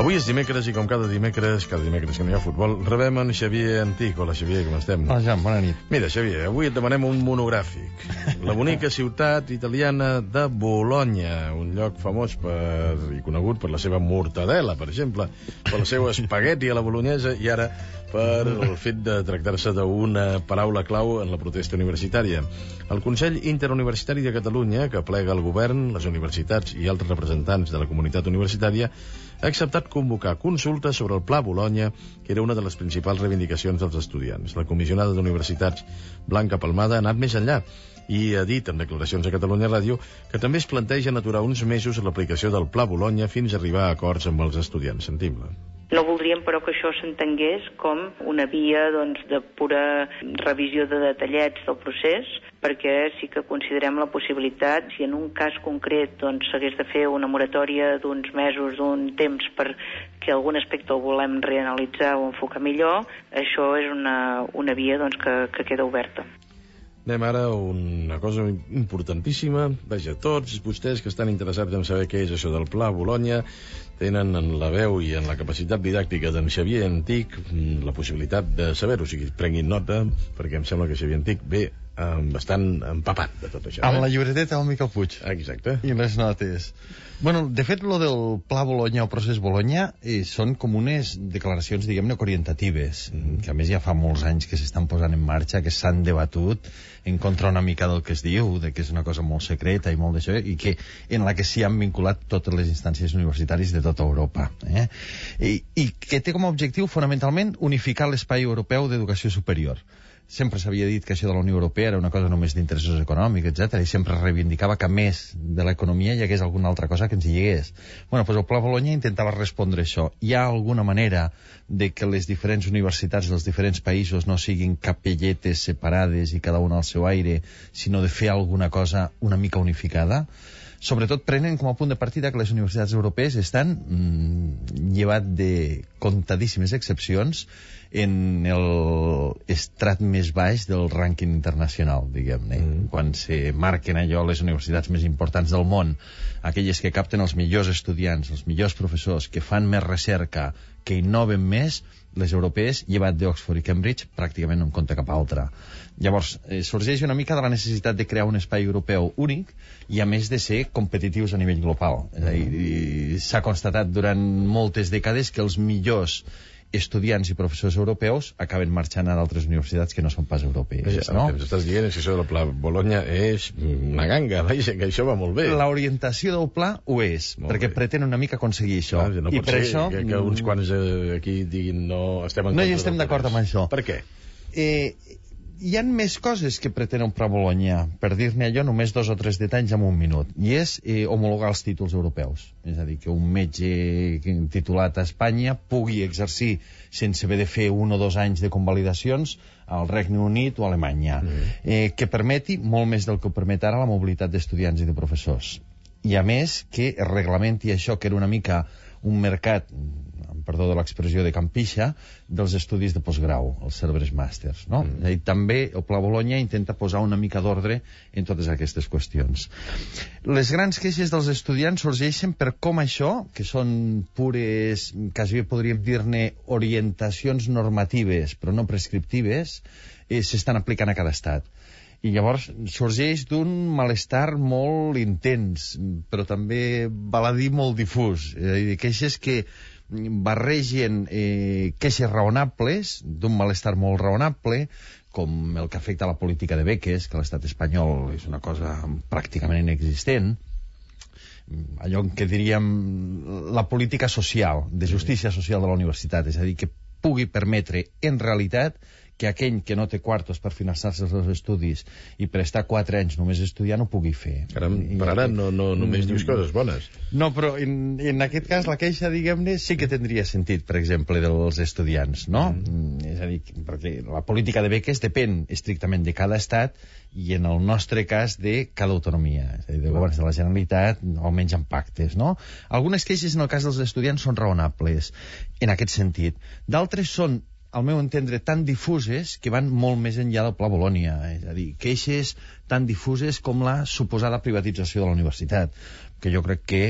Avui és dimecres i com cada dimecres que no hi ha futbol, rebem en Xavier Antich. Hola, Xavier, com estem? Hola, Jan, bona nit. Mira, Xavier, avui et demanem un monogràfic. La bonica ciutat italiana de Bolonya, un lloc famós i conegut per la seva mortadela, per exemple, per el seu espagueti a la bolognesa i ara per el fet de tractar-se d'una paraula clau en la protesta universitària. El Consell Interuniversitari de Catalunya, que plega el govern, les universitats i altres representants de la comunitat universitària, ha acceptat convocar consultes sobre el Pla Bolonya, que era una de les principals reivindicacions dels estudiants. La comissionada d'Universitats, Blanca Palmada, ha anat més enllà i ha dit en declaracions a Catalunya Ràdio que també es plantegen aturar uns mesos l'aplicació del Pla Bolonya fins a arribar a acords amb els estudiants. Sentim-la. No voldríem, però, que això s'entengués com una via de pura revisió de detallets del procés, perquè sí que considerem la possibilitat, si en un cas concret s'hagués de fer una moratòria d'uns mesos, d'un temps, perquè algun aspecte el volem reanalitzar o enfocar millor, això és una via que queda oberta. Anem ara a una cosa importantíssima. Vaja, tots vostès que estan interessats en saber què és això del Pla Bolonya tenen en la veu i en la capacitat didàctica d'en Xavier Antich la possibilitat de saber-ho. O sigui, prenguin nota, perquè em sembla que Xavier Antich ve bastant empapat de tot això. Amb la llibreteta del Miquel Puig. Exacte. I les notes. Bueno, de fet, lo del Pla Bolonya o procés Bolonya són com unes declaracions, diguem-ne, orientatives, que a més ja fa molts anys que s'estan posant en marxa, que s'han debatut en contra una mica del que es diu, de que és una cosa molt secreta i molt d'això, i que en la que s'hi han vinculat totes les instàncies universitàries de tota Europa. I que té com a objectiu, fonamentalment, unificar l'espai europeu d'educació superior. Sempre s'havia dit que això de la Unió Europea era una cosa només d'interessos econòmics, etc. I sempre reivindicava que a més de l'economia hi hagués alguna altra cosa que ens hi hagués. Bueno, doncs el Pla Bolonya intentava respondre això. Hi ha alguna manera de que les diferents universitats dels diferents països no siguin capelletes separades i cada una al seu aire, sinó de fer alguna cosa una mica unificada? Sobretot prenen com a punt de partida que les universitats europees estan, llevat de comptadíssimes excepcions, en l'estrat més baix del rànquing internacional, diguem-ne. Quan se marquen allò les universitats més importants del món, aquelles que capten els millors estudiants, els millors professors, que fan més recerca, que innoven més, les europees, llevat d'Oxford i Cambridge, pràcticament no en compta cap altra. Llavors, sorgeix una mica de la necessitat de crear un espai europeu únic i, a més, de ser competitius a nivell global. És a dir, s'ha constatat durant moltes dècades que els millors estudiants i professors europeus acaben marxant a d'altres universitats que no són pas europees. No? El que ens estàs dient és que això del Pla Bolonya és una ganga, vaja, que això va molt bé. L'orientació del pla ho és, perquè pretén una mica aconseguir això. No pot ser això que uns quants aquí diguin no estem en contra. No hi estem d'acord amb això. Per què? Hi ha més coses que pretén el Pla Bolonya, per dir-ne allò només 2 o 3 detalls en un minut, i és homologar els títols europeus. És a dir, que un metge titulat a Espanya pugui exercir sense haver de fer 1 o 2 anys de convalidacions al Regne Unit o a Alemanya, que permeti molt més del que ho permet ara la mobilitat d'estudiants i de professors. I a més que es reglamenti això, que era una mica un mercat, perdó de l'expressió de campixa, dels estudis de postgrau, els Cerberus Masters, no? I també el Pla Bolonya intenta posar una mica d'ordre en totes aquestes qüestions. Les grans queixes dels estudiants sorgeixen per com això, que són pures, quasi podríem dir-ne orientacions normatives, però no prescriptives, s'estan aplicant a cada estat. I llavors sorgeix d'un malestar molt intens, però també, val a dir, molt difús. És a dir, queixes que barregen queixes raonables, d'un malestar molt raonable, com el que afecta a la política de beques, que a l'estat espanyol és una cosa pràcticament inexistent, allò que diríem la política social, de justícia social de la universitat, és a dir, que pugui permetre, en realitat, que aquell que no té quartos per finançar-se els seus estudis i per estar 4 anys només estudiant ho pugui fer. Per ara no només dius coses bones. No, però en aquest cas la queixa, diguem-ne, sí que tindria sentit, per exemple, dels estudiants, no? És a dir, perquè la política de beques depèn estrictament de cada estat i en el nostre cas de cada autonomia, és a dir, de governs de la Generalitat, almenys en pactes, no? Algunes queixes en el cas dels estudiants són raonables en aquest sentit. D'altres són, al meu entendre, tan difuses que van molt més enllà del Pla Bolonya. És a dir, queixes tan difuses com la suposada privatització de la universitat, que jo crec que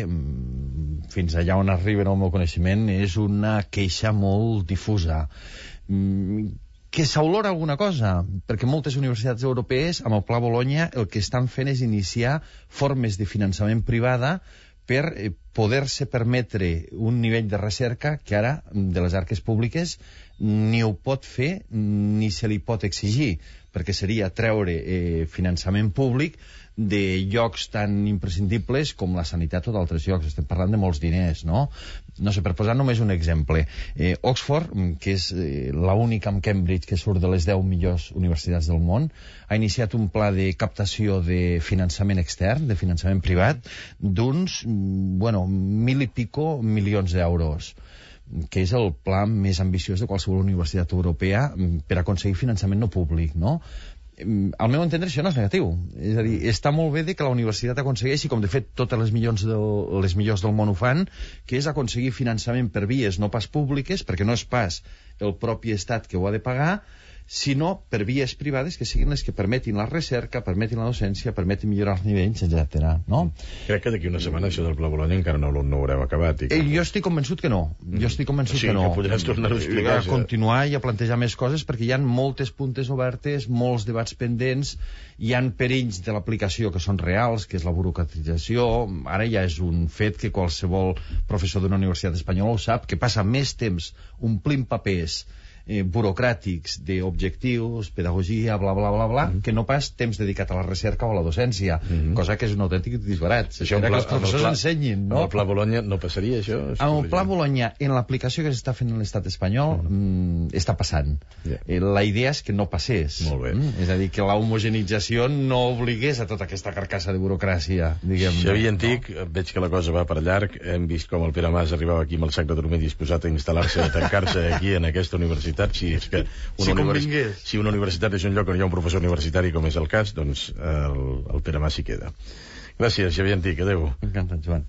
fins allà on arriben el meu coneixement, és una queixa molt difusa. Que s'olora alguna cosa, perquè moltes universitats europees, amb el Pla Bologna, el que estan fent és iniciar formes de finançament privada per poder-se permetre un nivell de recerca que ara, de les arques públiques, ni ho pot fer ni se li pot exigir, perquè seria treure finançament públic de llocs tan imprescindibles com la sanitat o d'altres llocs. Estem parlant de molts diners, no? No sé, per posar només un exemple. Oxford, que és l'única amb Cambridge que surt de les 10 millors universitats del món, ha iniciat un pla de captació de finançament extern, de finançament privat, d'uns, 1.000 i pico milions d'euros, que és el pla més ambiciós de qualsevol universitat europea per aconseguir finançament no públic, no? Al meu entendre això no és negatiu, és a dir, està molt bé que la universitat aconsegueixi, com de fet totes les millors del món ho fan, que és aconseguir finançament per vies no pas públiques, perquè no és pas el propi estat que ho ha de pagar, sinó per vies privades que siguin les que permetin la recerca, permetin la docència, permetin millorar els nivells, etc. No? Crec que d'aquí una setmana això del Pla Bologna encara no ho haurem acabat. Jo estic convençut que no. Jo estic convençut que no. O sigui, que podràs tornar-ho a explicar. A continuar i a plantejar més coses, perquè hi ha moltes puntes obertes, molts debats pendents, hi han perills de l'aplicació que són reals, que és la burocratització. Ara ja és un fet que qualsevol professor d'una universitat espanyola ho sap, que passa més temps omplint papers burocràtics d'objectius, pedagogia, bla, bla, bla, bla, que no pas temps dedicat a la recerca o a la docència, cosa que és un autèntic disbarat. Això que els professors ensenyin, no? Amb el Pla Bologna no passaria, això? Amb el Pla Bologna, en l'aplicació que s'està fent en l'estat espanyol, està passant. La idea és que no passés. Molt bé. És a dir, que la homogenització no obligués a tota aquesta carcassa de burocràcia, diguem. Xavier Antic, veig que la cosa va per llarg. Hem vist com el Pere Mas arribava aquí amb el sac de dormir disposat a instal·lar-se, a tancar-se aquí en aquesta universitat. Si és que si una universitat és un lloc on hi ha un professor universitari, com és el cas, doncs el Pere Mas s'hi queda. Gràcies, Xavier Antic. Adéu. Encantat, Joan.